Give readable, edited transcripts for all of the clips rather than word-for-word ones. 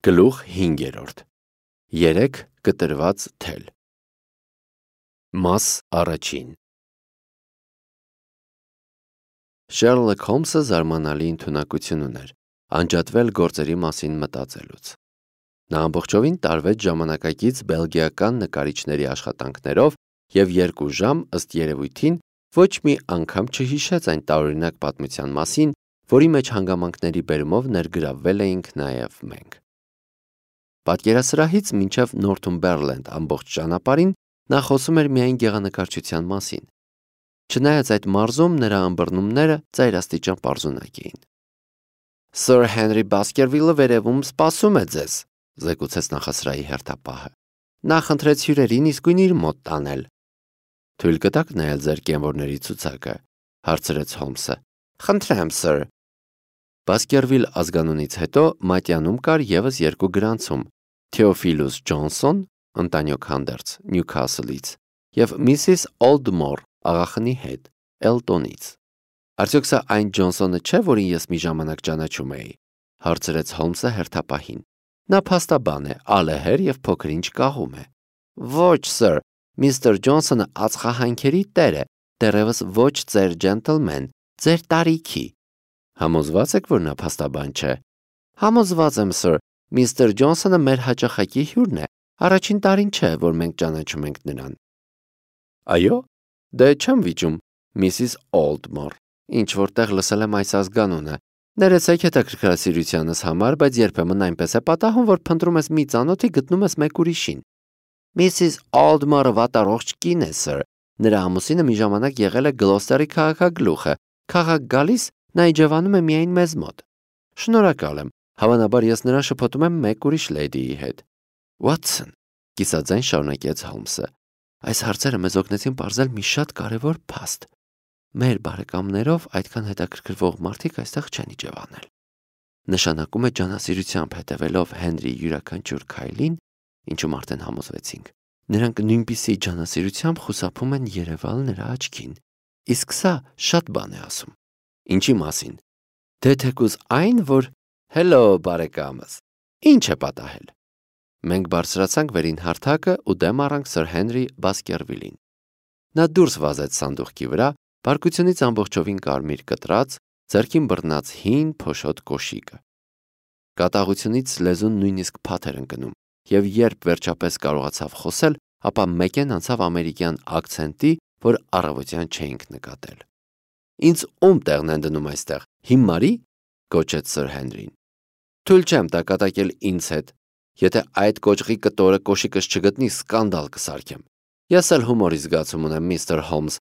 Գլուխ 5. 3 կտրված թել։ Մաս առաջին։ Շերլոք Հոլմսը զարմանալի ընդունակություն ուներ անջատվել գործերի մասին մտածելուց։ Նա ամբողջովին տարվեց ժամանակակից բելգիական նկարիչների աշխատանքներով և 2 ժամ ըստ երևույթին ոչ մի անգամ չհիշեց այն տարօրինակ պատմության մասին, որի մեջ հանգամանքների բերումով ներգրավվել էինք նաև մենք։ Պատկերասրահից մինչև Նորթումբերլենդ ամբողջ ճանապարհին նա խոսում էր միայն գեղանկարչության մասին։ Չնայած այդ մարզում նրա ըմբռնումները ծայրաստիճան պարզունակ էին։ «Սըր Հենրի Բասկերվիլը վերևում սպասում է ձեզ», զեկուցեց նախասրահի հերթապահը։ «Նա խնդրեց հյուրերին իսկույն իր մոտ տանել»։ «Թույլ կտաք նայել ձեր կենվորների ցուցակը», հարցրեց Հոլմսը։ «Խնդրեմ, սըր»։ Բասկերվիլ ազգանունից հետո մատյանում կար ևս 2 գրանցում՝ Թեոֆիլուս Ջոնսոն, ընտանյոք հանդերձ, Նյուքասլից, և Միսիս Օլդմոր, աղախնի հետ, Էլտոնից։ «Արդյոք սա այն Ջոնսոնը չէ, որին ես մի ժամանակ ճանաչում էի», հարցրեց Հոլմսը հերթապահին։ «Նա փաստաբան է, ալեհեր և փոքր-ինչ կաղում է»։ «Ոչ, սըր, միստր Ջոնսոնը ածխահանքերի տեր է, դեռևս ոչ ծեր ջենտլմեն, ձեր տարիքի»։ «Համոզվա՞ծ եք, որ նա փաստաբան չէ»։ «Համոզված եմ, սըր, միստր Ջոնսոնը մեր հաճախակի հյուրն է, առաջին տարին չէ, որ մենք ճանաչում ենք նրան»։ «Այո՞, դե չեմ վիճում, Միսիս Օլդմոր, ինչ-որ տեղ լսել եմ այս ազգանունը, ներեցեք հետաքրքրասիրությանս համար, բայց երբեմն այնպես է պատահում, որ փնտրում ես մի ծանոթի, գտնում ես մեկ ուրիշին»։ «Միսիս Օլդմորը վատառողջ կին է, սըր, նրա ամուսինը մի ժամանակ եղել է Գլոստերի քաղաքագլուխը, քաղաք գալիս նա իջևանում է միայն մեզ մոտ»։ «Շնորհակալ եմ, հավանաբար ես նրան շփոթում եմ մեկ ուրիշ լեդիի հետ»։ «Վատսոն», կիսաձայն շարունակեց Հոլմսը, «այս հարցերը մեզ օգնեցին պարզել մի շատ կարևոր փաստ։ Մեր բարեկամներով այդքան հետաքրքրվող մարդիկ այստեղ չեն իջևանել։ Նշանակում է ջանասիրությամբ հետևելով Հենրիի յուրաքանչյուր քայլին, ինչում արդեն համոզվեցինք, նրանք նույնպիսի ջանասիրությամբ խուսափում են երևալ նրա աչքին։ Իսկ սա շատ բան է ասում»։ «Ինչի մասին»։ «Դե թեկուզ այն, որ հելո բարեկամս, ինչ է պատահել»։ Մենք բարձրացանք վերին հարթակը ու դեմ առանք սըր Հենրի Բասկերվիլին։ Նա դուրս վազեց սանդուղքի վրա, բարկությունից ամբողջովին կարմիր կտրած, ձեռքին բռնած հին փոշոտ կոշիկը։ Կատաղությունից լեզուն նույնիսկ փաթ էր ընկնում, և երբ վերջապես կարողացավ խոսել, ապա մեկեն անցավ ամերիկյան ակցենտի, որ առավոտյան չէինք նկատել։ «Ինձ ում տեղն են դնում այստեղ, հիմարի՞», գոչեց սըր Հենրին։ «Թույլ չեմ տա կատակել ինձ հետ։ Եթե այդ կոճղի կտորը կոշիկս չգտնի, սկանդալ կսարքեմ։ Ես էլ հումորի զգացում ունեմ, միստր Հոլմս,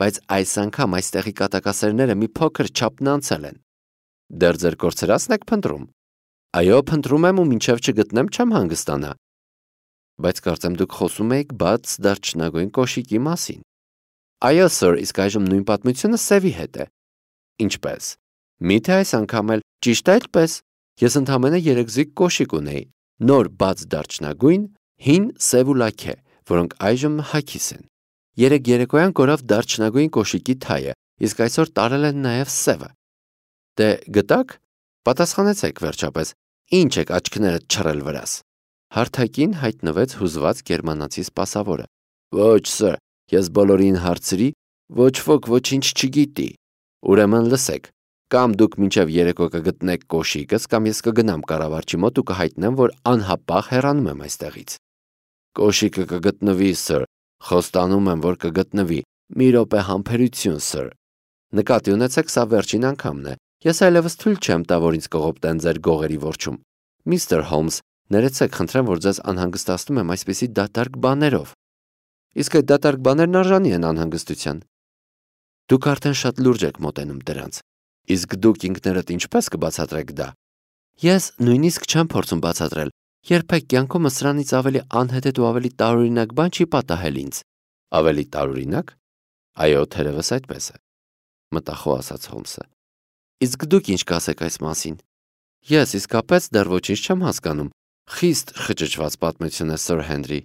բայց այս անգամ այստեղի կատակասերները մի փոքր չափն անցել են»։ «Դեռ ձեր կորցրածն եք փնտրում»։ «Այո, փնտրում եմ ու մինչև չգտնեմ չեմ հանգստանա»։ «Բայց կարծեմ դուք խոսում էիք բաց դարչնագույն կոշիկի մասին»։ «Այո, սըր, իսկ այժմ նույն պատմությունը սևի հետ է»։ «Ինչպե՞ս։ Մի՞թե այս անգամ էլ, ճիշտ այդպես։ Ես ընդամենը 3 զույգ կոշիկ ունեի, նոր բաց դարչնագույն, հին, սև ու լաքե, որոնք այժմ հագիս են։ Երեկ երեկոյան կորավ դարչնագույն կոշիկի թայը, իսկ այսօր տարել են նաև սևը»։ «Դե գտա՞ք։ Պատասխանեցեք վերջապես, ինչ եք աչքներդ չռել վրաս»։ Հարթակին հայտնվեց հուզված գերմանացի սպասավորը։ «Ոչ, սըր, ես բոլորին հարցրի, ոչ ոք ոչինչ չգիտի։ Ուրեմն լսեք, կամ դուք մինչև երեկո կգտնեք կոշիկս, կամ ես կգնամ կառավարչի մոտ ու կհայտնեմ, որ անհապաղ հեռանում եմ այստեղից»։ «Կոշիկը կգտնվի, սըր, խոստանում եմ, որ կգտնվի, մի րոպե համբերություն, սըր։ Նկատի ունեցեք, սա վերջին անգամն է, ես այլևս թույլ չեմ տա, որ ինձ կողոպտեն ձեր գողերի որջում։ Միստր Հոլմս, ներեցեք, խնդրեմ, որ ձեզ անհանգստացնում եմ այսպիսի դատարկ բաներով»։ «Իսկ այդ դատարկ բաներն արժանի են անհանգստության»։ «Դուք արդեն շատ լուրջ եք մոտենում դրանց։ Իսկ դուք ինքներդ ինչպես կբացատրեք դա»։ «Ես նույնիսկ չեմ փորձում բացատրել։ Երբեք կյանքումս սրանից ավելի անհեթեթ ու ավելի տարօրինակ բան չի պատահել ինձ»։ «Ավելի տարօրինակ»։ «Այո, թերևս այդպես է», մտախոհ ասաց Հոլմսը։ «Իսկ դուք ինչ կասեք այս մասին»։ «Ես իսկապես դեռ ոչինչ չեմ հասկանում։ Խիստ խճճված պատմություն է, սըր Հենրի։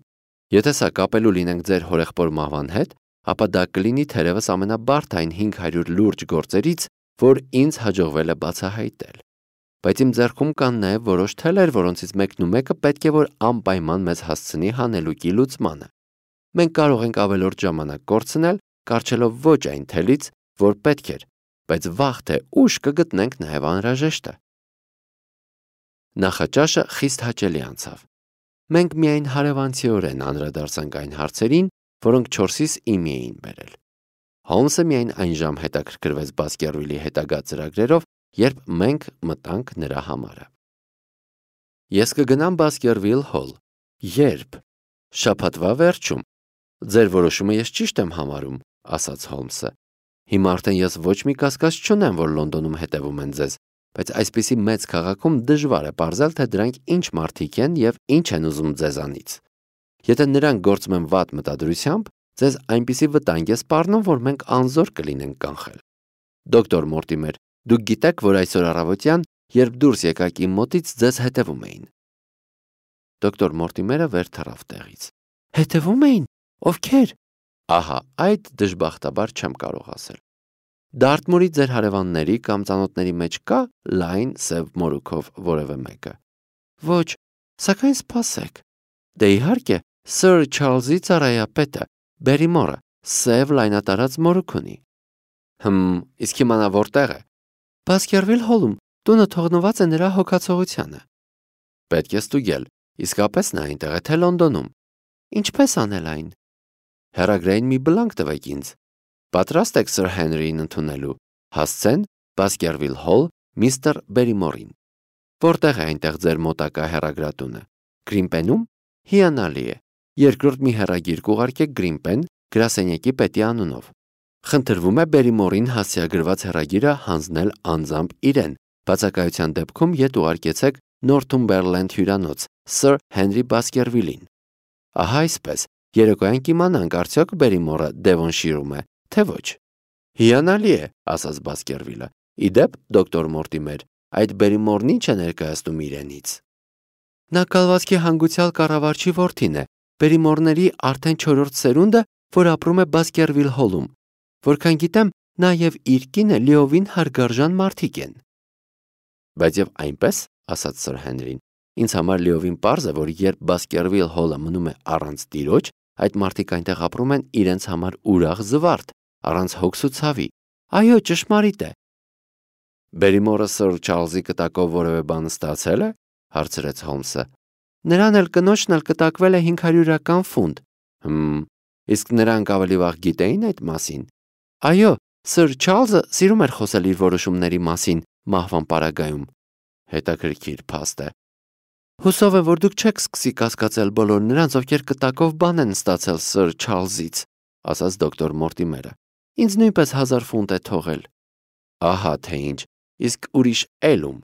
Եթե սա կապելու լինենք ձեր հորեղբոր մահվան հետ, ապա դա կլինի թերևս ամենաբարդ այն 500 լուրջ գործերից, որ ինձ հաջողվել է բացահայտել»։ բայց իմ ձեռքում կան նաև որոշ թելեր, որոնցից մեկն ու մեկը պետք է որ անպայման մեզ հասցնի հանելուկի լուծմանը։ Մենք կարող ենք ավելորդ ժամանակ կորցնել, կառչելով ոչ այն թելից, որ պետք էր, բայց վաղ թե ուշ կգտնենք նաև անհրաժեշտը։ Նախաճաշը խիստ հաճելի անցավ։ Մենք միայն հարևանցիորեն անդրադարձանք այն հարցերին, որոնք 4-ից իմի էին բերել։ Հոլմսը միայն այն ժամ հետաքրքրվեց Բասկերվիլի հետագա ծրագրերով, երբ մենք մտանք նրա համարը։ Ես կգնամ Բասկերվիլ Հոլ։ Երբ։ Շաբաթվա վերջում։ Ձեր որոշումը ես ճիշտ եմ համարում, ասաց Հոլմսը։ Հիմա արդեն ես ոչ մի կասկած չունեմ, որ Լոնդոնում հետևում են ձեզ, բայց այսպիսի մեծ քաղաքում դժվար է պարզել, թե դրանք ինչ մարդիկ են եւ ինչ են ուզում ձեզանից։ Եթե նրանք գործում են վատ մտադրությամբ, ձեզ այնպիսի վտանգ է սպառնում, որ մենք անզոր կլինենք կանխել։ Դոկտոր Մորտիմեր, դուք գիտեք, որ այսօր առավոտյան, երբ դուրս եկաք իմ մոտից, ձեզ հետևում էին։ Դոկտոր Մորտիմերը վեր թռավ տեղից։ Հետևում էին։ Ովքեր։ Ահա, այդ դժբախտաբար չեմ կարող ասել։ Դարտմուրի ձեր հարևանների կամ ծանոթների մեջ կա լայն սև մորուքով որևէ մեկը։ Ոչ, սակայն սպասեք։ Դե իհարկե, Սր Չարլզի ծառայապետը, Բերիմորը, սև լայնատարած մորուք ունի։ Իսկ հիմա նա որտեղ է։ Բասկերվիլ Հոլում, տունը թողնված է նրա հոգացողությանը։ Պետք է ստուգել, իսկապես նա այնտեղ է թե Լոնդոնում։ Ինչպես անել այն։ Հեռագրային մի բլանկ տվեք ինձ։ Պատրաստ եք Սր Հենրիին ընդունելու։ Հասցեն Բասկերվիլ Հոլ, միստր Բերիմորին։ Որտեղ է այնտեղ ձեր մոտակա հեռագրատունը։ Գրինպենում։ Հիանալի է։ Երկրորդ մի հեռագիր կուղարկեք Գրինպեն, գրասենյակի պետի անունով։ Խնդրվում է Բերիմորին հասցեագրված հեռագիրը հանձնել անձամբ իրեն։ Բացակայության դեպքում ետ ուղարկեցեք Նորթումբերլենդ հյուրանոց, Սր Հենրի Բասկերվիլին։ Ահա այսպես, երեկոյան կիմանանք արդյոք Բերիմորը Դևոնշիրում է, թե ոչ։ Հիանալի է, ասաց Բասկերվիլը։ Իդեպ, դոկտոր Մորտիմեր, այդ Բերիմորն ինչ է ներկայացնում իրենից։ Նա կալվածքի հանգուցյալ կառավարչի որդին է, Բերիմորների արդեն 4-րդ սերունդը, որ ապրում է Բասկերվիլ Հոլում։ Որքան գիտեմ, նա եւ իր կինը լիովին հարգարժան մարդիկ են։ Բայց եւ այնպես, ասաց Սր Հենրին, ինձ համար լիովին պարզ է, որ երբ Բասկերվիլ Հոլը մնում է առանց տիրոջ, այդ մարդիկ այնտեղ ապրում են իրենց համար ուրախ զվարթ, առանց հոգս ու ցավի։ Այո, ճշմարիտ է։ Բերիմորը Սր Չարլզի կտակով որևէ բան ստացել է, հարցրեց Հոլմսը։ Նրան էլ կնոջն էլ կտակվել է 500 ֆունտ։ Իսկ նրանք ավելի վաղ գիտեին այդ մասին։ Այո, Սր Չարլզը սիրում էր խոսել իր որոշումների մասին մահվան պարագայում։ Հետաքրքիր փաստ է։ Հուսով եմ, որ դուք չեք սկսի կասկածել բոլոր նրանց, ովքեր կտակով բան են ստացել Սր Չարլզից, ասաց դոկտոր Մորտիմերը։ Ինձ նույնպես 1000 ֆունտ է թողել։ Ահա թե ինչ, իսկ ուրիշ էլում։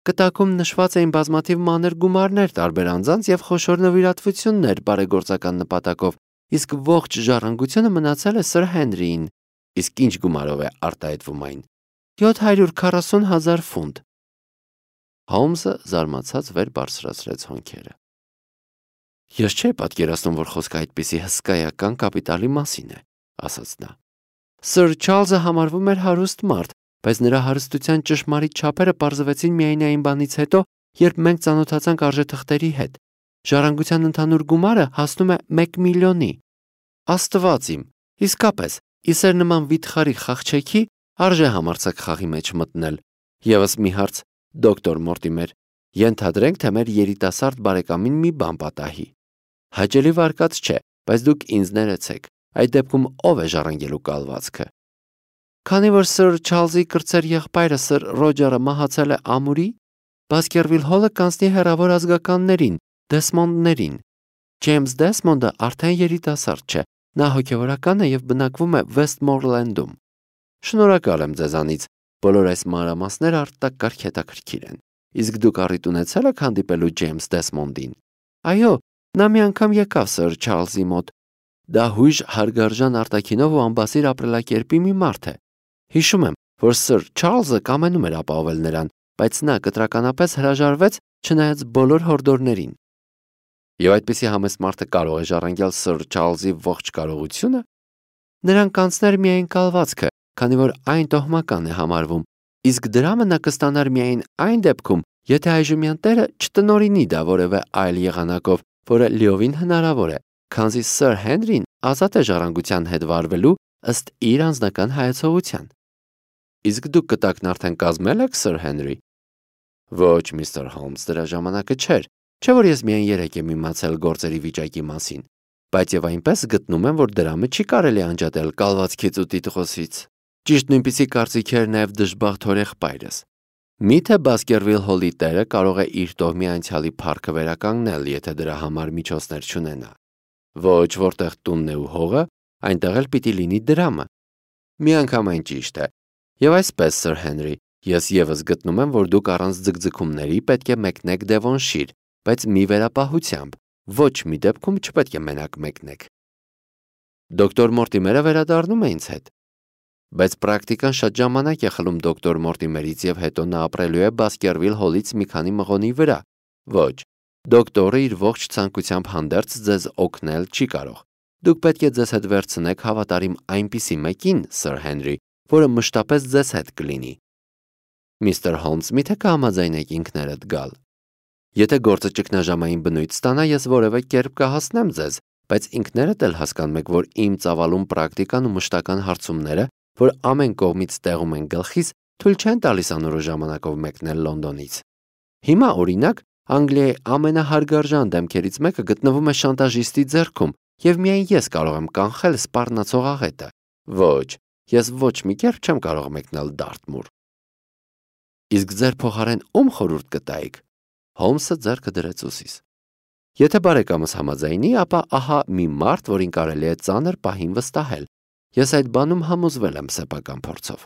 Կտակում նշված էին բազմաթիվ մանր գումարներ տարբեր անձանց եւ խոշոր նվիրատվություններ բարեգործական նպատակով, իսկ ողջ ժառանգությունը մնացել է Սր Հենրիին։ Իսկ ինչ գումարով է արտահայտվում այն։ 740,000 ֆունտ։ Հոլմսը զարմացած վեր բարձրացրեց հոնքերը։ Ես չէի պատկերացնում, որ խոսքը այդպիսի հսկայական կապիտալի մասին է, ասաց նա։ Սր Չարլզը համարվում էր հարուստ մարդ, բայց նրա հարստության ճշմարիտ չափերը պարզվեցին միայն այն բանից հետո, երբ մենք ծանոթացանք արժեթղթերի հետ։ Ժառանգության ընդհանուր գումարը հասնում է 1 միլիոնի։ Աստված իմ, իսկապես, իսեր նման վիթխարի խաղչեքի արժե համարձակ խաղի մեջ մտնել։ Եվս մի հարց, դոկտոր Մորտիմեր, ենթադրենք, թե մեր երիտասարդ բարեկամին մի բան պատահի։ Հաճելի վարկած չէ, բայց դուք ինձ ներեցեք։ Այդ դեպքում ով է ժառանգելու կալվածքը։ Քանի որ Սր Չարլզի կրտսեր եղբայրը Սր Ռոջերը մահացել է ամուրի, Բասկերվիլ Հոլը կանցնի հեռավոր ազգականներին, Դեսմոնդներին։ Ջեյմս Դեսմոնդը արդեն երիտասարդ չէ, նա հոգևորական է եւ բնակվում է Վեսթմորլենդում։ Շնորհակալ եմ ձեզանից, բոլոր այս մանրամասները արտակարգ հետաքրքիր են։ Իսկ դուք առիթ ունեցել եք հանդիպելու Ջեյմս Դեսմոնդին։ Այո, նա մի անգամ եկավ Սր Չարլզի մոտ։ Դա հույժ հարգարժան արտաքինով ու ամբասիր ապրելակերպի մի մարդ է։ Հիշում եմ, որ Սր Չարլզը կամենում էր ապահովել նրան, բայց նա կտրականապես հրաժարվեց, չնայած բոլոր հորդորներին։ Եվ այդպիսի համեստ մարդը կարող է ժառանգել Սր Չարլզի ողջ կարողությունը։ Նրան կանցներ միայն կալվածքը, քանի որ այն տոհմական է համարվում, Իսկ դրամը նա կստանար միայն այն դեպքում, եթե այժմյան տերը չտնօրինի դա որևէ այլ եղանակով, որը լիովին հնարավոր է, քանզի Սըր Հենրին ազատ է ժառանգության հետ վարվելու ըստ իր անձնական հայեցողության։ Իսկ դուք կտակն արդեն կազմել եք, Սըր Հենրի։ Ոչ, միստր Հոլմս, դրա ժամանակը չէր, չէ որ ես միայն երեկ եմ իմացել գործերի վիճակի մասին, բայց եւ այնպես գտնում եմ, որ դրամը չի կարելի անջատել կալվածքից ու տիտղոսից։ Ճիշտ նույնպիսի կարծիք էր նաեւ դժբախտ հորեղբայրս։ Միթե Բասկերվիլ Հոլի տերը կարող է իր տոհմի անցյալի փառքը վերականգնել, եթե դրա համար միջոցներ չունենա։ Ոչ, որտեղ տունն է ու հողը, այնտեղ էլ պիտի լինի դրամը։ Միանգամայն ճիշտ է։ Եվ այսպես, Սըր Հենրի, ես եւս գտնում եմ, որ դուք առանց ձգձգումների պետք է մեկնեք Դևոնշիր, բայց մի վերապահությամբ, ոչ մի դեպքում չպետք է մենակ մեկնեք։ Դոկտոր Մորտիմերը վերադառնում է ինձ հետ։ Բայց պրակտիկան շատ ժամանակ է խլում դոկտոր Մորտիմերից եւ հետո նա ապրելու է Բասկերվիլ Հոլից մի քանի մղոնի վրա։ Ոչ, դոկտորը իր ողջ ցանկությամբ հանդերձ ձեզ օգնել չի կարող։ Դուք պետք է ձեզ հետ վերցնեք հավատարիմ այնպիսի մեկին, Սըր Հենրի, որը մշտապես ձեզ հետ կլինի։ Միստր Հոլմս, միթե կհամաձայնեք ինքներդ գալ։ Եթե գործը ճգնաժամային բնույթ ստանա, ես որևէ կերպ կհասնեմ ձեզ, բայց ինքներդ էլ հասկանում եք, որ իմ ծավալուն պրակտիկան ու մշտական հարցումները, որ ամեն կողմից տեղում են գլխիս, թույլ չեն տալիս անորոշ ժամանակով մեկնել Լոնդոնից։ Հիմա, օրինակ, Անգլիայի ամենահարգարժան դեմքերից մեկը գտնվում է շանտաժիստի ձեռքում, եւ միայն ես կարող եմ կանխել սպառնացող աղետը։ Ոչ, ես ոչ մի կերպ չեմ կարող մեկնել Դարթմուր։ Իսկ ձեր փոխարեն ում խորհուրդ կտայիք։ Հոլմսը ձեռքը դրեց ուսիս։ Եթե բարեկամս համաձայնի, ապա ահա մի մարդ, որին կարելի է ծանր պահին վստահել։ Ես այդ բանում համոզվել եմ սեփական փորձով։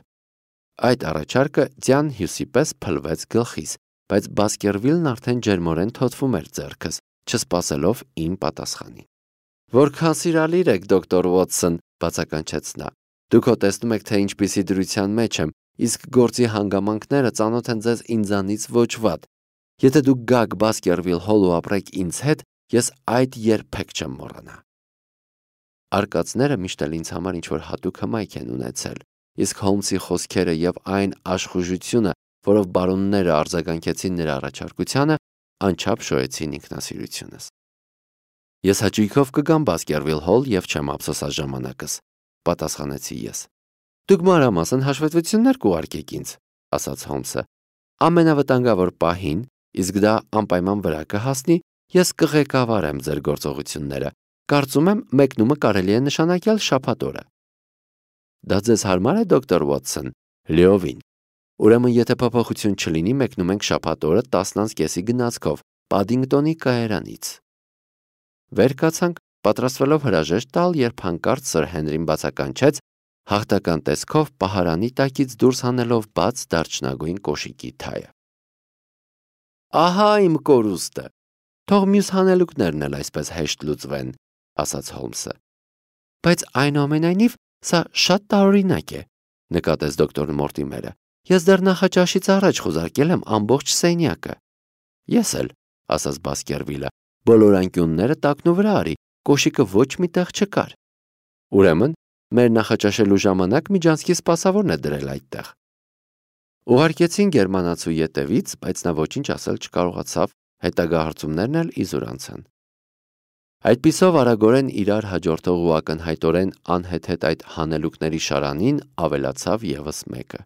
Այդ առաջարկը ձյան հյուսի պես փլվեց գլխիս, բայց Բասկերվիլն արդեն ջերմորեն թոթվում էր ձեռքս, չսպասելով իմ պատասխանին։ Որքան սիրալիր եք, դոկտոր Ուոթսոն, բացականչեց նա։ Դուք հո տեսնում եք, թե ինչպիսի դրության մեջ եմ, իսկ գործի հանգամանքները ծանոթ են ձեզ ինձանից ոչ վատ։ Եթե դուք գաք Բասկերվիլ Հոլ ու ապրեք ինձ հետ, ես այդ երբեք չեմ մոռանա։ Արկածները միշտ էլ ինձ համար ինչ-որ հատուկ հմայք են ունեցել, իսկ Հոլմսի խոսքերը եւ այն աշխուժությունը, որով բարոնները արձագանքեցին նրա առաջարկությանը, անչափ շոյեցին ինքնասիրությունս։ Ես հաճույքով կգամ Բասկերվիլ Հոլ եւ չեմ ափսոսած ժամանակս, պատասխանեցի ես։ Դուք մանրամասն հաշվետվություններ կուղարկեք ինձ, ասաց Հոլմսը։ Ամենավտանգավոր պահին, իսկ դա անպայման վրա կհասնի, ես կղեկավարեմ ձեր գործողությունները։ Կարծում եմ, մեկնումը կարելի է նշանակել շաբաթ օրը։ Դա ձեզ հարմար է, դոկտոր Ուոթսոն։ Լիովին։ Ուրեմն, եթե փոփոխություն չլինի, մեկնում ենք շաբաթ օրը 10:30-ի գնացքով Падինգտոնի կայարանից։ Վեր կացանք, պատրաստվելով հրաժեշտ տալ, երբ հանկարծ Սըր Հենրին բացականչեց, հաղթական տեսքով պահարանի տակից դուրս հանելով բաց դարչնագույն կոշիկի թայը։ Ահա իմ կորուստը։ Թող մյուս հանելուկներն էլ այսպես հեշտ լուծվեն, ասաց Հոլմսը։ Բայց այնուամենայնիվ սա շատ տարօրինակ է, նկատեց դոկտոր Մորտիմերը։ Ես դեռ նախաճաշից առաջ խուզարկել եմ ամբողջ սենյակը։ Ես էլ, ասաց Բասկերվիլը, բոլոր անկյունները տակնու վրա արի, կոշիկը ոչ մի տեղ չկար։ Ուրեմն, մեր նախաճաշելու ժամանակ Միջանցքի սպասավորն է դրել այդտեղ։ Ուղարկեցին գերմանացու ետևից, բայց նա ոչինչ ասել չկարողացավ, հետագա հարցումներն էլ իզուր անցան։ Այդպիսով արագորեն իրար հաջորդող ու ակնհայտորեն անհեթեթ այդ հանելուկների շարանին ավելացավ եւս մեկը։